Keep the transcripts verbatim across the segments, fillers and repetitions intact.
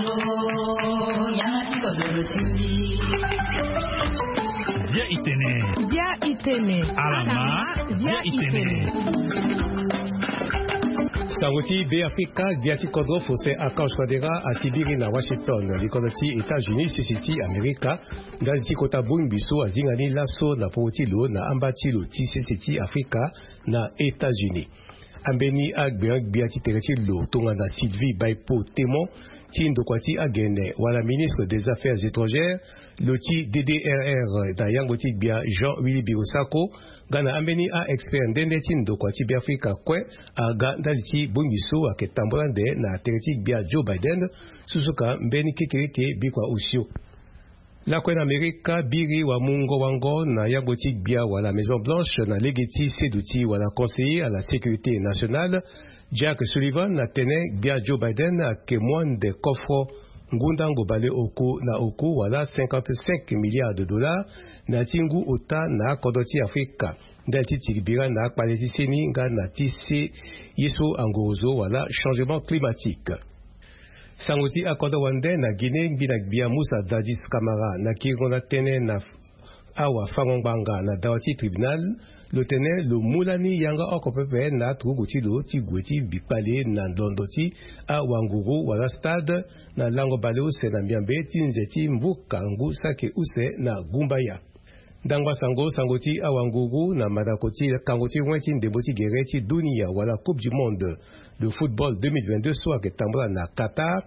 Bia itene. Bia itene. Alama. Bia itene. Sango ti Be Afrika, gbia ti kodro Faustin Archange Touadéra asibiri na Washington, likolo ti États-Unis, sese ti Amerika, ndali ti kota bongbi so azinga ni laso na popo ti lo na amba ti lo ti sese ti Afrika na États-Unis. Ambeni agbeon-gbia ti tere ti lo tongana Sylvie Baipo Temon ti ndokua ti agene wala ministre des Affaires étrangères, lo ti D D R R na yangbo ti gbia Jean Willy Birosako, nga na ambeni a-expert nde nde ti ndokua ti Beafrika kue aga ndali ti bongbi so ayeke tambula ande na tere ti gbia Joe Biden, susuka mbeni kekereke bikua osio. Lakue na Amerika, biri wamungo wango na yangbo ti gbia wala Maison Blanche na lege ti seduti wala conseiller à la sécurité nationale, Jake Sullivan atene gbia Joe Biden ayeke mu ande kofro ngu ndango baleoku na oku wala cinquante-cinq milliards de dollars na ya ti ngu ota na akodro ti Afrika, ndali ti tiri bira na akpale ti seni nga na ti se ye so angorozo wala changement climatique. Sango ti akodro wande na Guinée, ngbina gbia Moussa Dadis Camara na kiringo na tënë na awafango-ngbanga na dawa ti tribunal, lo tene lo mu lani yanga oko pepe na aturugu ti lo ti gue ti bikpale na ndondo ti awanguru wala stade na lango baleuse na miambe ti nze ti mvuka ngu saki use na gumbaya. Ndangba sango, sango ti awanguru na mandako ti kango ti ruen ti ndembo ti gere ti dunia wala Coupe du Monde de football deux mille vingt-deux so ayeke tambula na Qatar.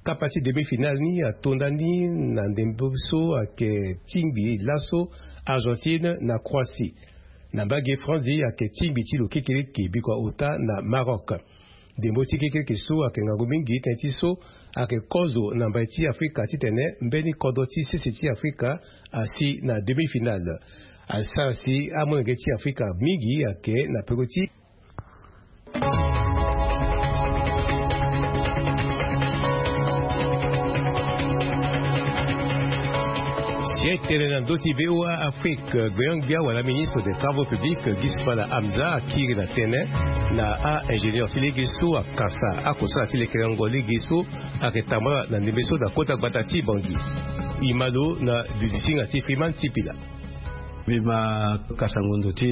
Kapa ti demi-finale ni atonda ni na ndembo so ayeke tingbi laso Argentine na Croatie. Na mbage Franzi ayeke tingbi ti lo kekereke bikua ota na Maroc. Ndembo ti kekereke so ayeke ngangu mingi tënë ti so ayeke kozo na mbai ti Afrika titene mbeni kodro ti sese ti Afrika asi na demi-finale. Asara si amolenge ti Afrika mingi ayeke na peko ti Si e tene na ndö ti V O A Afrique, gbeon-gbia wala ministre des travaux publics, Gismala Hamza, akiri na tënë na a-ingénieur ti lege so akasa akosala ti lekerengo lege so ayeke tambula na ndembe so na kota gbata ti Bangui. E ma lo na dudisinga ti Freeman Sipila. Mbi ma kasa ngonzo ti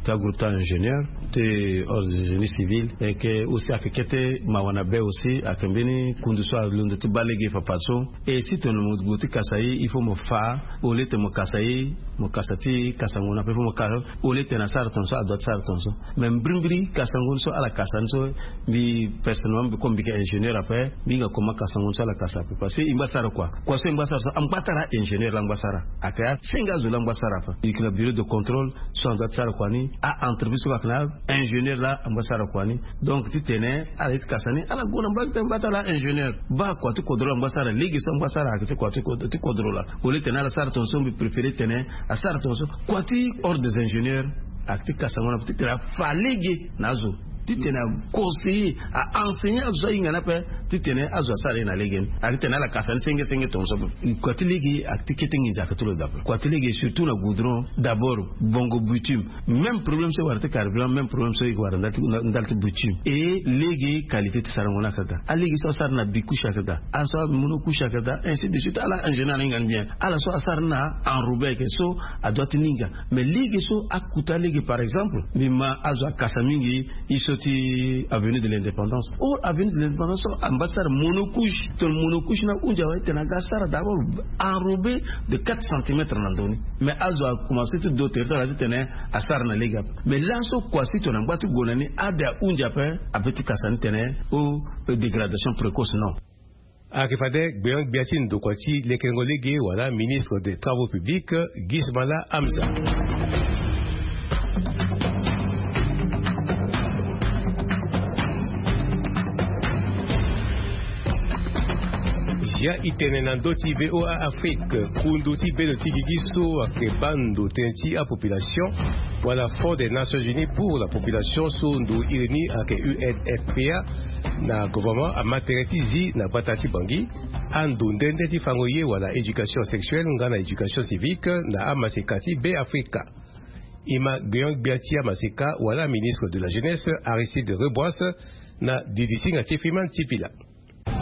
ti agroupe ti a-ingénieur, ti ordre de génie civil, ayeke aussi ayeke kete mawa na be aussi, ayeke mbeni kundu so alondo ti baa lege fadeso. Et si tongana mo gue ti kasa ye, il faut mo fa, au lieu ti mo kasa ye, mo kasa ti kasa ngonzo ape, il faut mo kasa, au lieu ti tene asara tongaso, adoit ti sara tongaso. Mais mbirimbiri kasa ngonzo so ala kasa ni so, mbi personnellement, mbi comme mbi yeke ingénieur ape, mbi hinga comment kasa ngonzo so ala kasa ape. Parce que e ngba sara kua. Kua so e ngba sara so, angba ti ala ingénieur la angba sara. Ayeke asenge azo la angba sara ape. E yeke na bureau de contrôle so adoit ti sara kua ni, a-entreprise so ayeke na ingénieur la angba sara kua ni. Donc titene ala ye ti kasa ni, ala gue na mbage ti angba ti ala ingénieur. Baa kua ti kodro la angba sara, lege so angba sara ayeke ti kua ti kodro, ti kodro la. Au lieu ti tene ala sara tongaso, mbi préféré ti tene asara tongaso. Kua ti ordre des ingénieurs ayeke ti kasa ngonzo ape titene afa lege na azo, titene aconseiller, a-enseigner azo so ahinga ni ape, titene azo asara ye na lege ni. Ayeke titene ala kasa ni senge senge tongaso ape. Kua ti lege ayeke ti kete nginza ayeke ti lo daa ape. Kua ti lege surtout na goudron, d'abord bongo bitume. Même problème so e wara ti carburant, même problème so e wara ndali ti, ndali ti bitume. E lege qualité ti sarango ni ayeke daa. Alege so asara na bicouche ayeke daa. Ala so amonocouche ayeke daa, ainsi de suite. Ala ingénieur ahinga ni bien. Ala so asara ni na enrobé ayeke so adoit ti ni hinga. Mais lege so akuta lege, par exemple, mbi ma azo akasa mingi, e so ti avenue de l'Indépendance. Oh, avenue de l'Indépendance so angba sara monocouche. Tongana monocouche ni ahunzi awe, titene aga asara d'abord enrobé de quatre centimètres na ndo ni. Mais azo akomanse ti do tere ti ala titene asara na lege ape. Mais laso kua si tongana angba ti gue na ni, ade ahunzi ape, ape ti kasa ni titene, oh, dégradation précoce, non. Ayeke fade gbeon-gbia ti ndokua ti lekerengo lege wala ministre des travaux publics, Gismala Hamza. Zia e tene na ndö ti V O A Afrique, kundu ti bendo ti gigi so ayeke baa ndo tënë ti apopulation, wala Fonds des Nations Unies pour la population so ndo iri ni ayeke U N F P A, na gouvernement ama tere ti zi na gbata ti Bangui, ando nde nde ti fango ye wala éducation sexuelle nga na éducation civique na amaseka ti Be Afrika. E ma gbeon-gbia ti amaseka wala ministre de la jeunesse, Aristide Rebouas, na didisinga ti Freeman Sipila.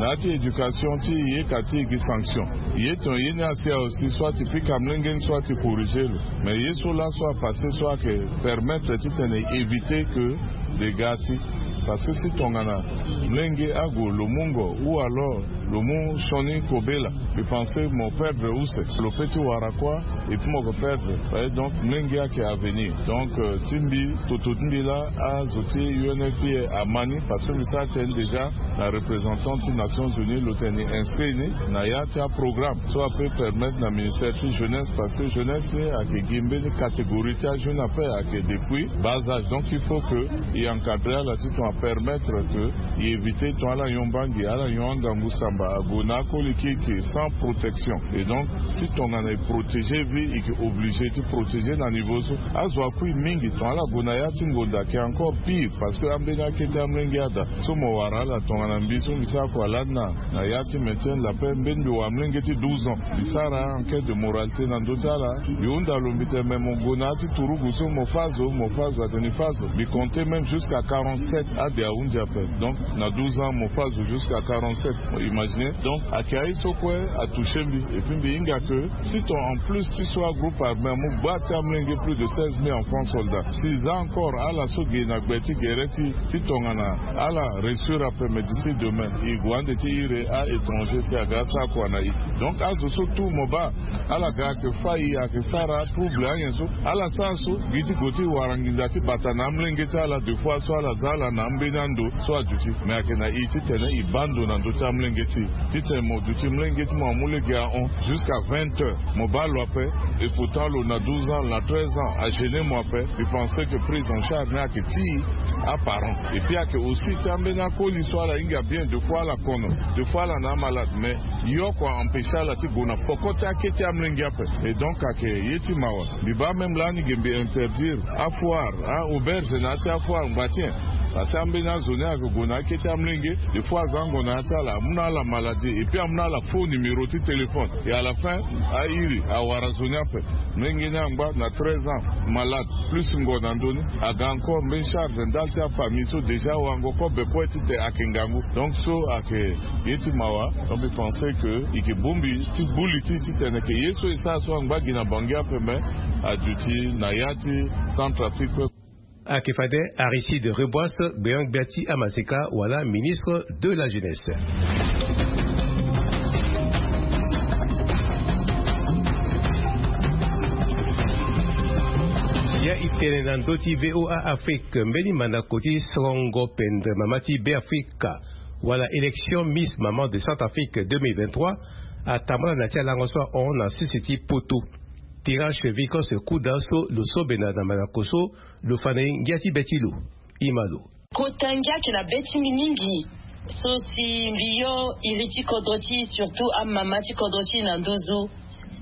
Na ya ti éducation ti e ka ti e gi sanction. Ye ton ye ni asi aosi soit ti pika mlenge ni soit ti corriger lo. Mais ye so la so apase so ake permettre ti tene éviter que dégâts ti. Parce que si tongana mlenge ague lo mu ngo ou alors lo mu sioni kobela, mbi pense mo perdre use, lo pe ti wara kua. Et puis mo ko perdre. Donc mlenge ake avenir. Donc ti mbi toto ti mbi la azo ti unfpa ama ni parce que mbi sara tene déjà na représentant ti nations unies lo tene ni inscrit ni na ya ti aprogramme so ape permettre na ministère ti jeunesse parce que jeunesse ni ake gi mbeni catégorie ti ajeune ape ake depuis bas âge. Donc il faut que e encadrer ala ti ton apermettre que e éviter ton ala nyon bangi ala nyon angangu samba ague na akoli kiki sans protection. Et donc si tongana e protéger vie e ke obligé ti protéger na niveau so. Azo akui mingi ton ala gue na ya ti ngonda ke encore pire parce que ambeni akete amlenge ada so mo wara ala tongana mbi so mbi sara kua lani na ya ti maintien la paix mbeni mbi wara mlenge ti douze ans mbi sara enquête de moralité na ndö ti ala. Mbi hunda lo mbi tene me mo gue na ya ti turugu so mo fâ zo mo fâ zo atene fâ zo mbi compter même jusqu'à quarante-sept ade ahunzi ape. Donc na douze ans mo fâ zo jusqu'à quarante-sept. Imagine donc ake aye so kue atoucher mbi. Et puis mbi hinga que si ton en plus ti so agroupe armé amu gba ti amlenge plus de seize mille enfants soldats si za encore ala so ge na gbe ti gere ti tongana ala réussir ape mais d'ici demain e gue ande ti ire a étranger si aga asara kua na e. Donc azo so tout mo baa ala ga ake fâ e ake sara trouble anyen so ala sara so gi ti gue ti wara nginza ti bata na amlenge ti ala de fois so ala za ala na ambeni ando so aduti. Mais ake na e ti tene e baa ndo na ndö ti amlenge ti e ti tene mo duti mlenge ti mo amu lege ahon jusqu'à vingt heures. Mo baa lo ape. Et pourtant lo na douze ans na treize ans agêner mo ape. Mbi pense que prise en charge ni ake ti e aparent. Et puis ake aussi ti ambeni akoli so ala hinga bien de fois ala kono de fois ala na amalade mais yoko a empêcher ala ti gue na poko ti akete amlenge ape. Et donc ake ye ti mawa. Mbi baa même lani ge mbi interdire afoire aauberge na ya ti afoire ngba ti nyen? Parce que ambeni azo ni ake gue na akete amlenge de fois aza ango na ya ti ala amu na ala maladie et puis amu na ala faux numéro ti téléphone. Et à la fin airi awara zo ni ape. Mlenge ni angba na treize ans malade plus ngo na ndö ni aga encore mbeni charge ndali ti afamille so déjà wango kobe kue ti tene ake ngangu. Donc so ake ye ti mawa. Donc mbi pense que e ke bongbi ti gbu li ti ti tene ke ye so e sara so angba gi na bangi ape mais aduti na ya ti Centrafrique kue. Ake fade Aristide Reboise gbeon gbia ti amaseka wala ministre de la jeunesse. Sia e tene na ndö ti VOA Afrique mbeni mandako ti sorongo pendre mama ti Beafrika wala élection Miss Maman de Centrafrique deux mille vingt-trois atambula na ti alango so ahon na sese ti poto. Tirage Vicos Kuda so lo so bena na mandako so lo fa na e ngia ti be ti lo. Ima lo. Kota ngia ayeke na be ti mbi mingi. So si mbi yo iri ti kodro ti e surtout amama ti kodro ti e na nduzu.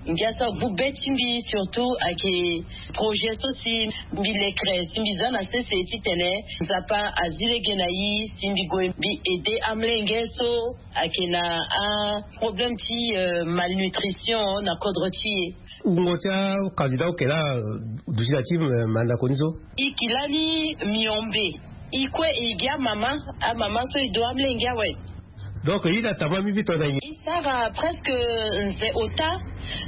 Ngia so agbu be ti mbi surtout ayeke projet so si mbi lekere si mbi za na sese titene Nzapa azi lege na e si mbi gue mbi aide amolenge so ayeke na aproblème ti malnutrition na kodro ti e. Wungo ti acandidat oke laa duti na ti mandako ni so? E ke lani miombe. E kue e gi amama. Amama so e do amolenge awe. Donc e na tama mingi to na e. E sara presque nze ota.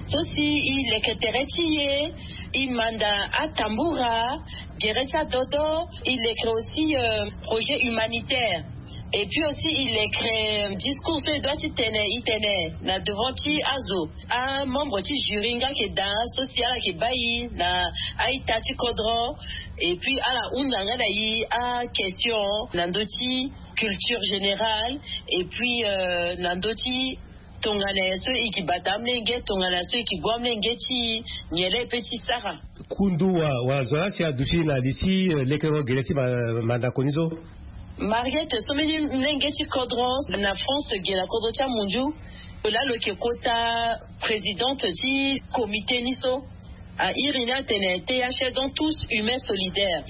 So si e leke tere ti e e manda atambura, gere ti adodo. E leke aussi projet humanitaire. Et puis aussi e leke discours so e dua ti tene e tene na devant ti azo. Amembre ti jury nga ayeke daa so si ala yeke baa e na a-ita ti kodro. Et puis ala hunda nga na e aquestion na ndö ti culture générale. Et puis na ndö ti tongana nyen so e yeke bata amolenge, tongana nyen so e yeke gue amolenge ti e, nyen laa e pe ti sara. Kundu wa wa zo laa si aduti na li ti lekerengo gere ti mandako ni so? Mariette, so mbeni molenge ti kodro na France ge na kodro ti amunzu. Lo laa lo yeke kota présidente ti comité ni so. A iri ni atene T H S, donc tous humains solidaires.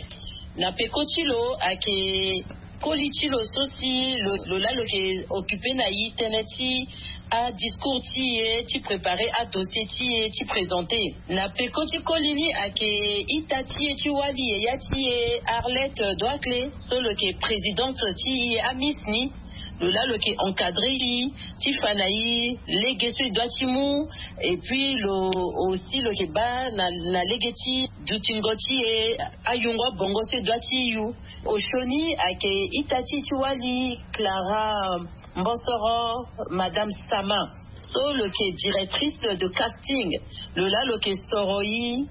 Na peko ti lo ayeke koli ti lo so si lo laa lo yeke occupe na e tënë ti adiscours ti e ti préparer adossier ti e ti présenter. Na peko ti koli ni ayeke ita ti e ti wali yaya ti e Arlette Doicle so lo yeke présidente ti e amiss ni. Lo laa lo yeke encadrer i ti fa na i lege so e doit ti mu. Et puis lo aussi lo yeke baa na lege ti dutingo ti e ayungo abongo so e doit ti yu. Osioni ayeke ita ti e ti wali Clara Mbosoro, Madame Sama, so lo yeke directrice de casting. Lo laa lo yeke soro i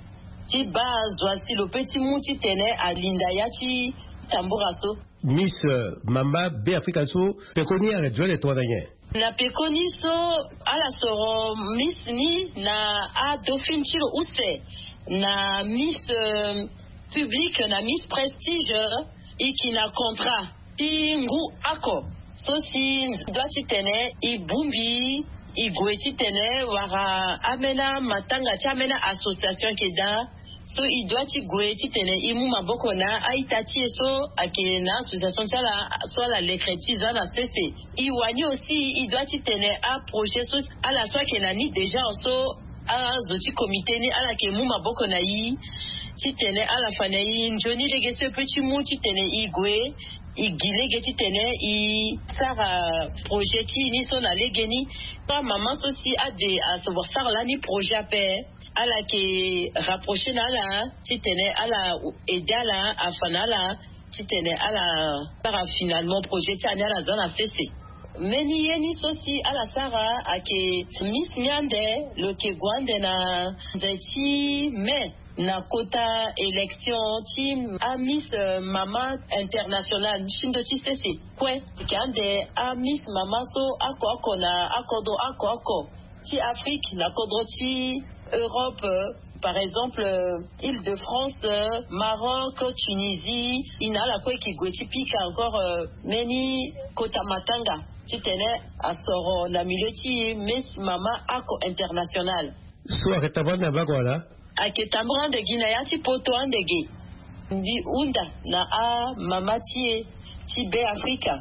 ti baa zo asi lo pe ti mu titene alinda ya ti tambura so. Miss mama be afrika so pekoni ayeke zo ande tongana nyen? Na pekoni so ala soro miss ni na adauphine ti lo use na miss publique na miss prestige. E yeke na contrat ti ngu oko so si e doit titene e bongbi e gue titene wala ambeni matanga ti ambeni association ayeke daa. So e doit ti gue titene e mu maboko na a-ita ti e so ayeke na association ti ala so ala lekre ti za na sese. E wani aussi e doit titene aprojet so ala so ayeke na ni déjà so azo ti comité ni ala yeke mu maboko na e titene ala fa na e nzoni lege so e pe ti mu titene e gue e gi lege titene e sara projet ti e ni so na legeni. Amama so si ade asoro sara lani projet ape, ala yeke rapprocher na ala titene ala aider ala afa na ala titene ala sara finalement projet ti ala ni ala za na sese. Mbeni ye ni so si ala sara ayeke miss ni ande lo yeke gue ande na nze ti mai na kota élection ti amiss mama internationale ti ndo ti sese kue. Ayeke ande amiss mama so oko oko na akodro oko oko ti Afrique na kodro ti Europe, par exemple Île-de-France, Maroc, Tunisie. E na ala kue e yeke gue ti pika encore mbeni kota matanga titene asoro na milieu ti miss mama oko internationale. So ayeke tambula ande na mbage wala? Ayeke tambula ande gi na ya ti poto ande ge. Mbi hunda na amama ti e ti be afrika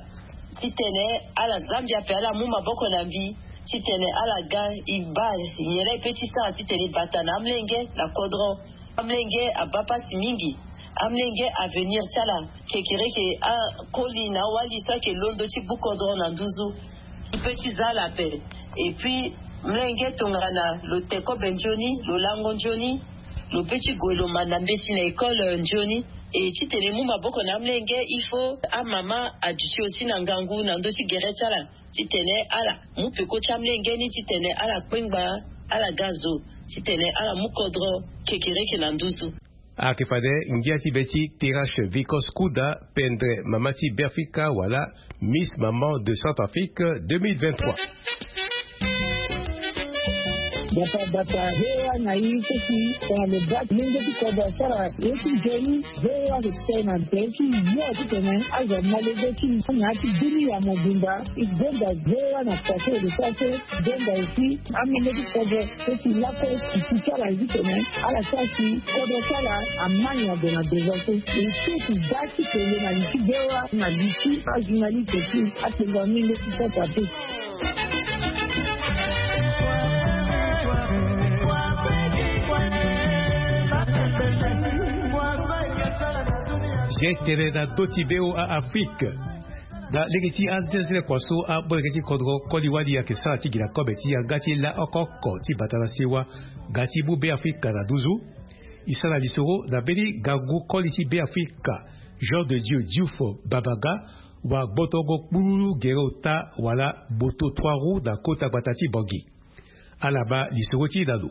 titene ala zambia ape ala mu maboko na mbi titene ala ga e baa nyen laa e pe ti sara titene e bata na amolenge na kodro. Amolenge abaa pasi mingi. Amolenge avenir ti ala kekereke akoli na awali so ayeke londo ti bu kodro na nduzu. E pe ti za ala ape. Et puis molenge tongana lo te kobe nzoni lo lango nzoni lo pe ti gue lo ma na mbeti na école nzoni. E titene e mu maboko na amolenge il faut amama aduti aussi na ngangu na ndö ti gere ti ala titene ala mu peko ti amolenge ni titene ala kpengba ala ga zo titene ala mu kodro kekereke na nduzu. Ayeke fade ngia ti be ti terrache vicos kuda pendre mama ti be afrika wala miss maman de centrafrique deux mille vingt-trois. Bata bata hewa na ye so si tongana lo baa lenge ti kodro asara ye ti nzoni. Hewa ayeke tene na tere ti yo titene azo ama lege ti na ya ti dunia mobimba. E gonda hewa na pase e lo sara so e gonda aussi amenge ti kodro so si lakue e si ti ala titene ala sara si kodro ti ala ama nyen ague na devant so. E so e si da ti kele na li ti hewa na li ti ajournaliste ti atengo amenge ti centrafrique. Ge tene na ndö ti be o a afrique. Na lege ti azenzele kua so abolenge ti kodro koli wali ayeke sara ti gi na kobe ti yanga ti la oko oko ti bata na sewa ga ti mu be afrika na nduzu. E sara lisoro na mbeni ngangu koli ti be afrika jean de dieu diouf babaga wa gbotongo kpululu gere ota wala moto trois roues na kota gbata ti bongi. Ala ma lisoro ti e na lo.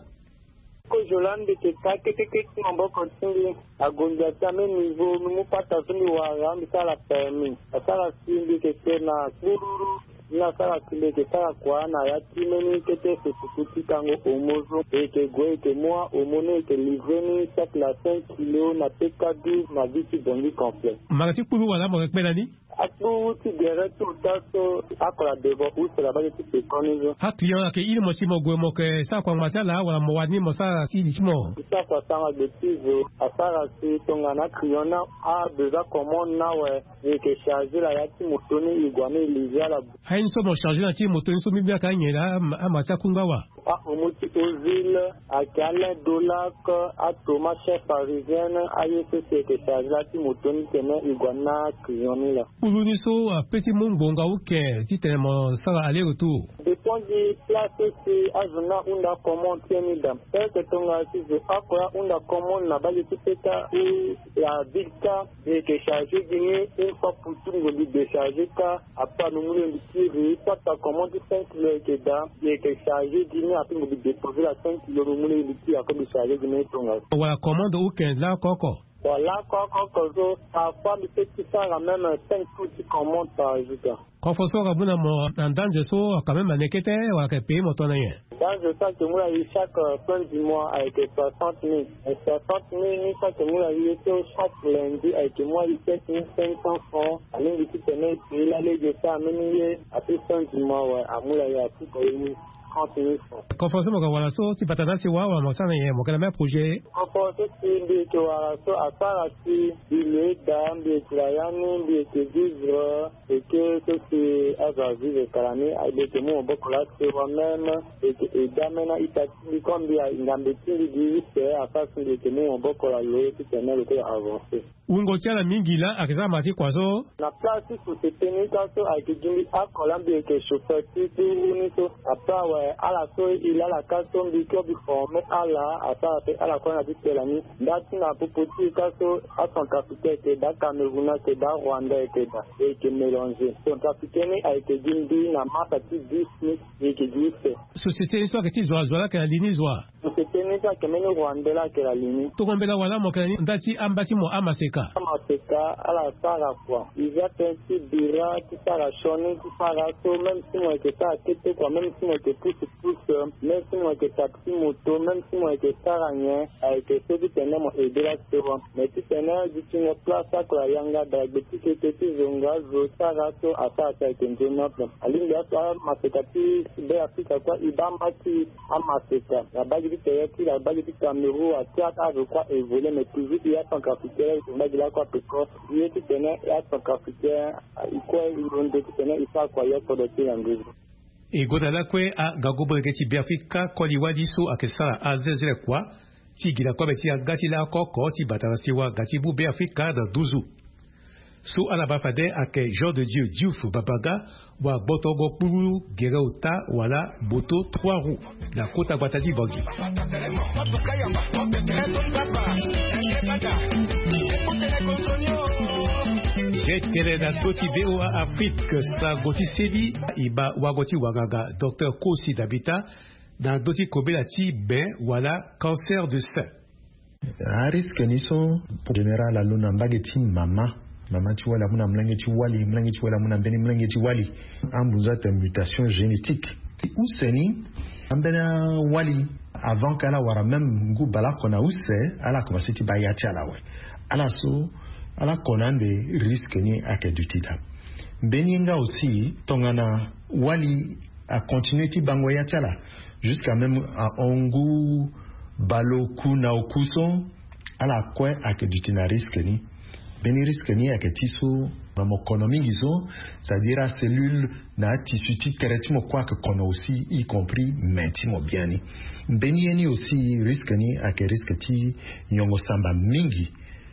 Kozo laa mbi yeke ka kete kete maboko ti mbi. Agonzi ati ame nivo mbi mu pata so mbi wara mbi sara permis asara si mbi yeke te na kpururu. Ni asara si mbi yeke sara kua na ya ti mbeni kete susuku ti kango homo so e yeke gue e yeke mu ahomo ni e yeke livre ni chaque na cinq kilo na peka douze na vie ti bongi complet. Mara ti kpururu wala mo yeke kpe na ni. Akpuru ti gere ti ota so akola devant use na mbage ti pekoni so. Aclient ayeke iri mo si mo gue mo yeke sara kua ngba ti ala wala mo wani mo sara si li ti mo. Ti sara kua sara gbe ti zo asara si tongana aclient na abesoin commande ni awe. E yeke charge la ya ti moto ni e gue ni e livre ala. Aye ni so mo charge na ti moto ni so mbi mbi ayeke anyen laa ama ti akungba wa. Aomo ti ozile, ayeke alain dolac, atoma chef parisienne, aye so si ayeke charge la ti moto ni tene e gue na client ni laa. Kpulu ni so ape ti mu ngbonga uke titene mo sara aller retour. Dépend gi place so si azo ni ahunda commande ti ye ni daa. Peke tongana si zo oko ahunda commande na bage ti peta ou la ville ka, e yeke charge gi ni une fois pour tout, ngongi décharge ka. Apa no mu lenge ti ri pata commande ti cinq kilo ayeke daa, e yeke charge gi ni. Ape ngongi déposer la cinq kilo, no mu lenge ti ri akobi charge gi ni tongana. Wala commande uke laa koko. Wala koko so, parfois mbi peut ti sara même cinq tours ti commande par jour ka. Kofo so aka mu na mo na ndanze so, aka même aneke te, wala aka pays mo to na nyen? Ndanze so ake mu na ye chaque fin du mois ayeke soixante mille. Soixante mille ni so ake mu na ye so chaque lundi ayeke mu na ye sept mille cinq cents francs. Alingbi titene e pays la lege so ameni ye, ape fin du mois awe, amu na ye apuka ye ni trente mille francs. Kofo so mo ka wara so ti bata na si wa, wala mo sara na nyen, mo ke na même projet? Kofo so si mbi yeke wara so asara si mbi lo ye daa, mbi yeke na ya ni, mbi yeke vivre. Eke so si azo avivre kala ni, mbi yeke mu maboko laa si wa même. Mbi yeke aide ameni a-ita ti mbi, comme mbi a ngambe ti mbi gi use, asara si mbi yeke mu maboko laa lo titene lo kue avancer. Wungo ti ala mingi laa ake sara ma ti kua so. Na place ti société ni ka so ayeke gi mbi oko laa mbi yeke chauffeur ti ti wu ni so. Après awe, ala so e laa ala ka so mbi kue mbi former ala, asara pe ala kue na ti tela ni. Nda ti na popo ti e ka so, acentrafricain ayeke daa, Cameroun ayeke daa, Rwanda ayeke daa, e yeke mélanger. Centrafricain ni ayeke gi mbi na masa ti dix ni, e yeke gi use. Société ni so ayeke ti zo wa, zo wa laa ayeke na li ni zo wa? Société ni so ayeke mbeni Rwandais laa ayeke na li ni. Tongo mbela wala mo yeke na ni nda ti amba ti mo amaseka? Amaseka ala sara kua. Iza tënë ti bira ti sara sioni ti sara so, même si mo yeke sara kete kua, même si mo yeke pousse pousse, même si mo yeke taxi moto, même si mo yeke sara nyen, ayeke so titene mo aide la so. Mais titene dutingo place oko ayanga daa gbe ti keke ti zonga zo sara so asara si ayeke nzoni ape. Alingbi aso amaseka ti Beafrika kue e baa mba ti amaseka. Na bage ti tere ti la bage ti Cameroun atia ake azo kue a évoluer, mais toujours e acentrafricain e yeke mbage lakue ape ko. E ye titene e acentrafricain e kue e londo titene e sara kua ye kodro ti e na nduzu. E gonda lakue aga gobo lege ti Beafrika koli wali so ayeke sara azenzele kua ti gi na kobe ti aga ti laoko oko ti bata na siwa ga ti bu Beafrika na nduzu. So ala baa fade ayeke Jean de Dieu Diouf Babaga, wa gbotongo kpuru gere ota wala moto trois roues na kota gbata ti Bangui. Ye tene na ndö ti V O A Afrique, sango ti seni e baa wago ti wanganga Docteur Kosi Dabita na ndö ti kobela ti be wala cancer de sein. Arisque ni so, pour général, alondo na mbage ti mama. Mama ti wali amu na molenge ti wali, molenge ti wali amu na mbeni molenge ti wali. Ambunzu atene mutation génétique. Use ni, ambeni awali, avant que ala wara même ngu baleoko na use, ala commencer ti baa ya ti ala awe. Ala so, ala ko na ande, risque ni ayeke duti daa. Mbeni ye nga aussi, tongana wali a continuer ti bango ya ti ala jusqu'à même ahon ngu baleoku na oku so, ala kue ayeke duti na risque ni. Mbeni risque ni ayeke ti so, na mo kono mingi so, c'est-à-dire acellule na atissu ti tere ti mo kue ayeke kono aussi, y compris me ti mo biani. Mbeni ye ni aussi, risque ni ayeke risque ti nyongo samba mingi.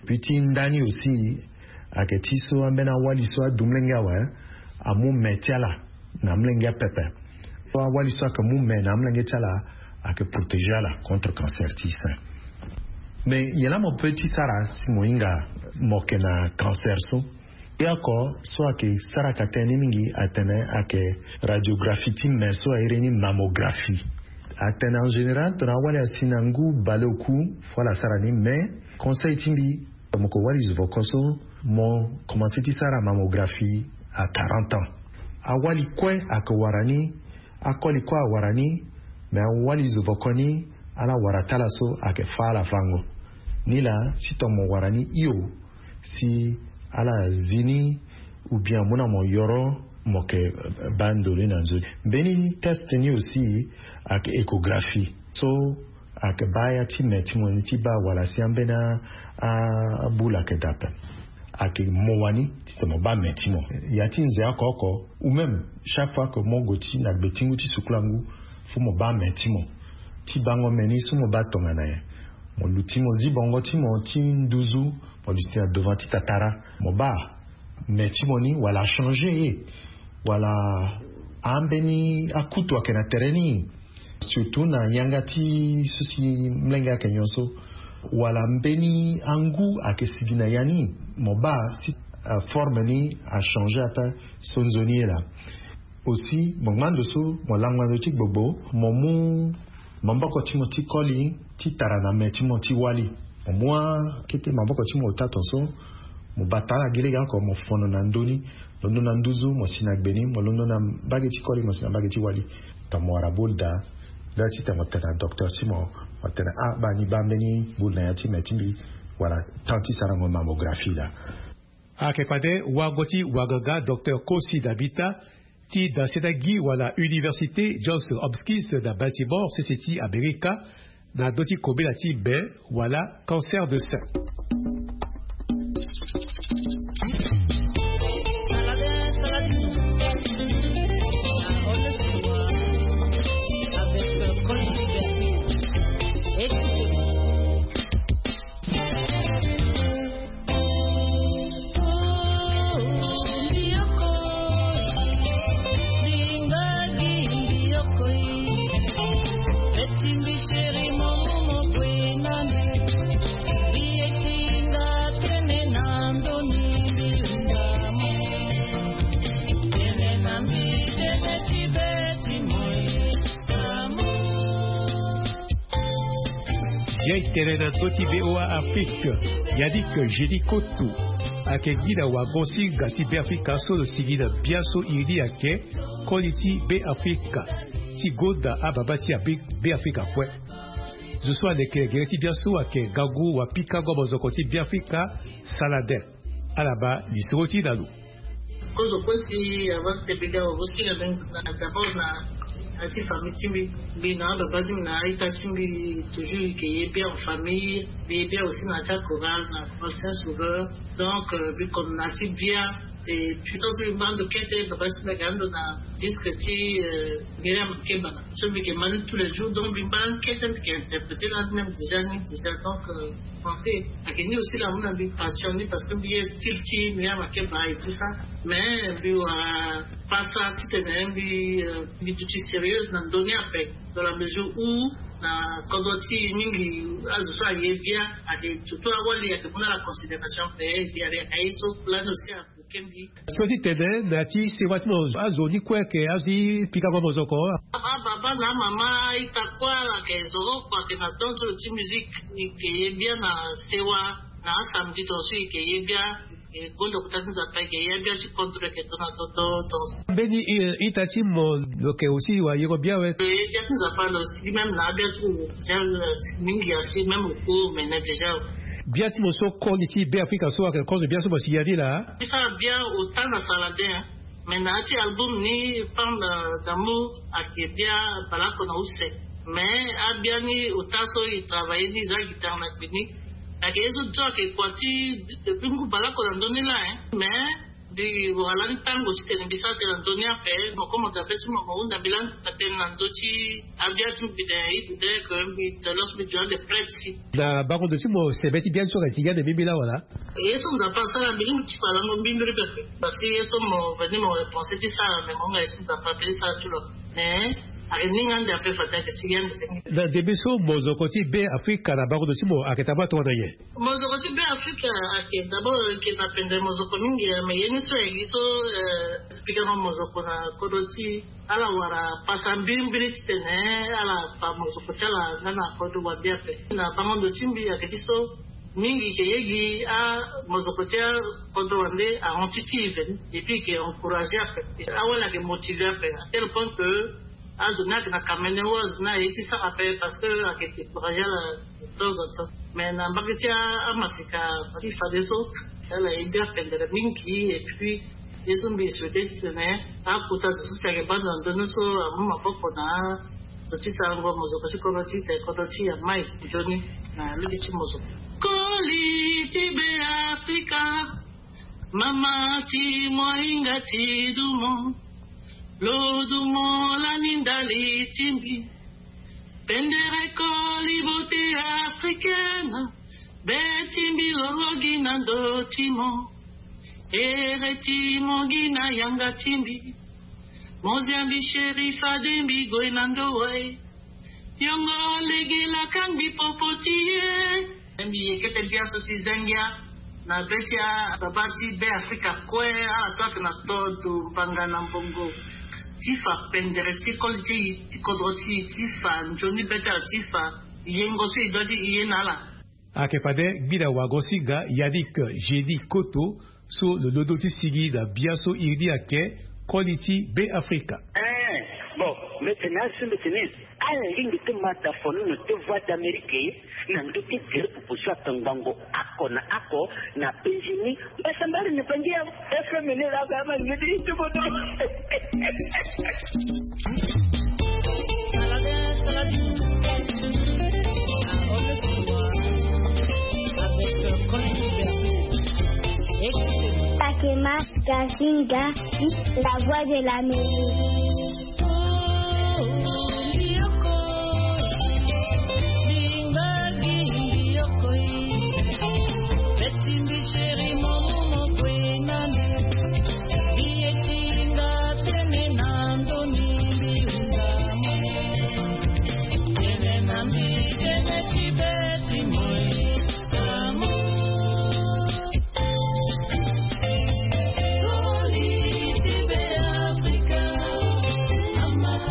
Puis ti nda ni aussi, ayeke ti so ambeni awali so adu molenge awe, amu me ti ala na molenge apepe. So awali so ayeke mu me na amolenge ti ala, ayeke protéger ala contre cancer ti sein. Mais nyen laa mo peut ti sara si mo hinga mo yeke na cancer so? Ye oko so ayeke sara ka tënë ni mingi atene ayeke radiographie ti me so a iri ni mammographie. Atene en général tongana awali asi na ngu baleoku, fo ala sara ni, mais conseil ti mbi, mo yeke wali zo voko so, mo commencer ti sara mammographie à quarante ans. Awali kue ayeke wara ni, akoli kue awara ni, mais awali zo voko ni, ala wara ti ala so ayeke fâ ala fango. Nilaa si tongana mo wara ni hio, si ala zi ni, ou bien amu na mo yoro, mo yeke baa ndo ni na nzoni. Mbeni test ni aussi ayeke échographie. So ayeke baa ya ti me ti mo ni ti baa wala si ambeni abula ayeke daa ape. Ayeke mo wani titene mo baa me ti mo. Ya ti nze oko oko, ou même chaque fois que mo gue ti na gbe ti ngu ti sukula ngu, Fo mo baa me ti mo ti bango me ni so mo baa tongana nyen? Mo luti mo zi bongo ti mo ti nduzu, mo luti na devant ti tatara, mo baa me ti mo ni wala achanger ye, wala ambeni akutu ayeke na tere ni, surtout na yanga ti so si mlenge ayeke nyonso, wala mbeni angu ayeke sigi na ya ni, mo baa si forme ni achanger ape so nzoni ye laa. Aussi mo ngba ndo so mo langba ndo ti gbogbo, mo mu maboko ti mo ti koli ti tara na me ti mo ti wali. Mo mu akete maboko ti mo ota tonso, mo bata ala gi lege oko, mo fono na ndö ni, londo na nduzu mo si na gbe ni, mo londo na mbage ti koli mo si na mbage ti wali. Tongana mo wara boule daa, laa titene mo tene na docteur ti mo, mo tene ah baa ni baa mbeni boule na ya ti me ti mbi, wala temps ti sarango mammographie laa. Ayeke fade wago ti waganga docteur Kosi Dabita ti danseta gi wala Université Johns Hopkins na Baltimore, sese ti Amerika, na ndö ti kobela ti me wala cancer de sein. Ye tene na ndö ti V O A Afrique, Yannick Génie Koto ayeke gi na wago-singa ti Beafrika so lo sigi na biaso iri ni ayeke koli ti Beafrika ti gonda ababa ti Beafrika kue. Zo so aleke gere ti biaso ayeke ngangu wapikango mozoko ti Beafrika, Saladin. Ala baa lisoro ti na lo. Kozo kue si avant ti tene mbi ga wago-singa, d'abord na, na ti famille ti mbi, mbi na ababa ti mbi na a-ita ti mbi, toujours e ke ye bien en famille, mbi ye bien aussi na ya ti achorale, na chorale Saint Sauveur. Donc mbi comme na ya ti bien. Et puis tant so mbi ngba ndo kete, baba ti mbi ayeke ando na disque ti Myriam Makeba na, so mbi yeke ma ni tous les jours, donc mbi ngba ni kete, mbi yeke interpréter lani même déjà ni déjà. Donc français ayeke ni aussi la amu na mbi passion ni, parce que mbi ye style ti Myriam Makeba et tout ça. Mais mbi wara pasa titene mbi, mbi duti sérieuse na ndö ni ape, dans la mesure où na kodro ti e mingi azo so aye bia ayeke, surtout awali ayeke mu na ala considération ape. Mbi ayeke aye so lani aussi. So ti tene na ya ti sewa ti mo, azo ni kue ayeke azo ti pikango mozoko? Ababa na amama, a-ita kue ala yeke zoro kua ayeke na danse ti musique. E yeke ye bia na sewa, na asamedi tongaso e yeke ye bia. E gonda kota ti Nzapa, e yeke ye bia ti kodro, e yeke to na toto tongaso. Mbeni ita ti mo lo yeke aussi wayengo bia awe? E ye bia ti Nzapa, lo sigi même na abia ti lo déjà mingi asi, même au cours mene déjà. Bia ti mo so koli ti Beafrika so ayeke kozo bia so mo si ya ni laa? Mbi sara bia ota na Saladin, hein. Mais na ya ti album ni, Femme d'amour, ayeke bia baleoko na use. Mais abia ni ota so e travailler ni, e za guitare na gbe ni. Ayeke ye so so ayeke kua ti depuis ngu baleoko na ndö ni laa, hein. Mais mbi wara lani tango titene mbi sara tënë na ndö ni ape. Mo kue mo ga be ti mo, mo hunda mbi lani tënë na ndö ti abia ti mbi tene, il faudrait que mbi tene lo so mbi duti ande prête si. Na bango ndo ti mo sembe ti bia ni so ayeke sigi ande mbirimbiri laa wala? Ye so Nzapa asara, mbi lingbi ti fa lango mbirimbiri pepe. Parce que ye so mo veni mo repenser ti sara, mais mo hunga ye so Nzapa ape ti sara ti lo. Mais ayeke ni nga ande ape, fade ayeke sigi ande senge. Na ndembe so mozoko ti Beafrika na bango ndo ti mo ayeke tambula tongana nyen? Mozoko ti Beafrika ayeke d'abord, e yeke na pendere mozoko mingi, mais ye ni so ayeke gi so, eh, pikango mozoko na kodro ti ala wara pasa mbirimbiri titene ala fa mozoko ti ala nga na kodro wande ape. Na bango ndo ti mbi ayeke ti so mingi e yeke ye gi amozoko ti akodro wande ahon ti ti e veni, et puis e yeke encourager ape. Awali ayeke motiver ape à tel point que azo ni ayeke na kamene, azo ni aye ti sara ape parce que ayeke décourager ala de temps en temps. Mais na mbage ti amaseka ti fadeso, ala ye bia pendere mingi. Et puis ye so mbi souhaiter titene akota zo so si ayeke baa ndo na ndö ni so amu maboko na azo ti sarango mozoko ti kodro ti e, titene kodro ti e amai nzoni na lege ti mozoko. Koli ti Beafrika, mama ti mohinga ti dumo. Lodumo lani ndali ti mbi. Pendere koli bote africaine. Be ti mbi lolo gi na ndo ti mo. Ere ti mo gi na yanga ti mbi. Moziambi sherifa de mbi gue na ndo wa e. Yongo lege la kangbi popo ti ye. Mbi yeke ti biaso ti zengia na be ti ababa ti be afrika kue ala so ayeke na todo mbanga na mbongo. Ti fa pendere ti koli ti e ti kodro ti e ti fa nzoni be ti ala ti fa yengo so e doit ti e ye na ala. Ayeke fade gbida wago si ga Yannick Gély Koto so lo londo ti sigi na biaso iri ni ayeke koli ti be afrika. Eh, bon, mbi tene asi mbi tene. Ala lingbi ti ma tafono na te voix d'amérique na ndö ti gere popo so atongbango ako na ako na pengini. Mbasambari ni pangi ya. F M ni la ba ma ni ti ti bodo. Pakema Gazinga, la voix de l'Amérique.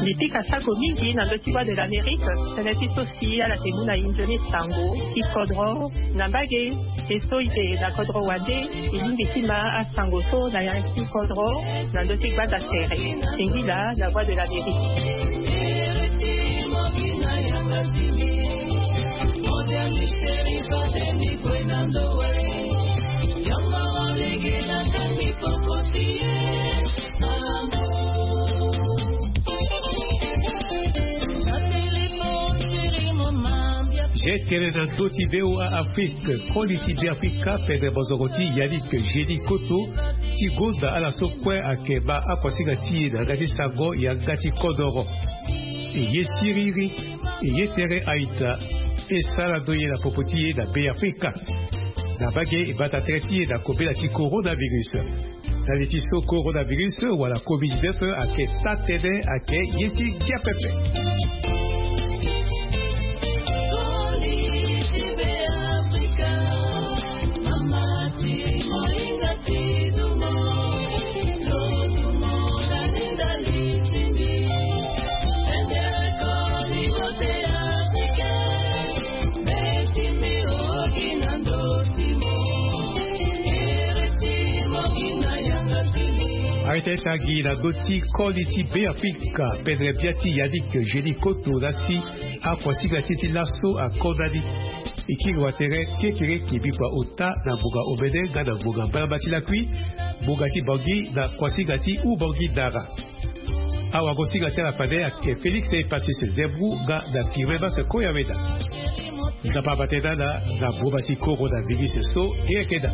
Mbi pika sako mingi na ndö ti Voix de l'Amérique, tënë ti so si ala yeke mu na e nzoni sango ti kodro na mbage. E so e yeke na kodro wande, e lingbi ti ma asango so na ya ti kodro na ndö ti gbata tere. Singila la Voix de l'Amérique. Ye tene na ndö ti V O A Afrique, koli ti Be Afrika pendere bozongo ti Yannick Gély Koto ti gonda ala so kue ayeke baa akuasinga ti e na yanga ti sango yanga ti kodoro. E ye siriri, e ye tere a-ita, e sara ndo ye na popo ti e na Be Afrika. Na mbage e bata tere ti e na kobela ti coronavirus. Na li ti so coronavirus wala covid dix-neuf ayeke taa tënë ayeke ye ti gia pepe. Aye ti tangi na ndö ti koli ti Be Afrika, pendere bia ti Yannick Gély Koto laa si akuasinga ti e ti laso akonda ni. E kiri wa tere kekereke, mbi kua ota na ngonga omene nga na ngonga mbalamba ti lakui, ngonga ti Bangui na kuasinga ti Oubangui Dara. Awagosinga ti ala fade ayeke Félix Epasis Zembrou nga na Firmin Mas Koyaweda. Nzapa abate na ala na mboma ti coronavirus so e yeke daa.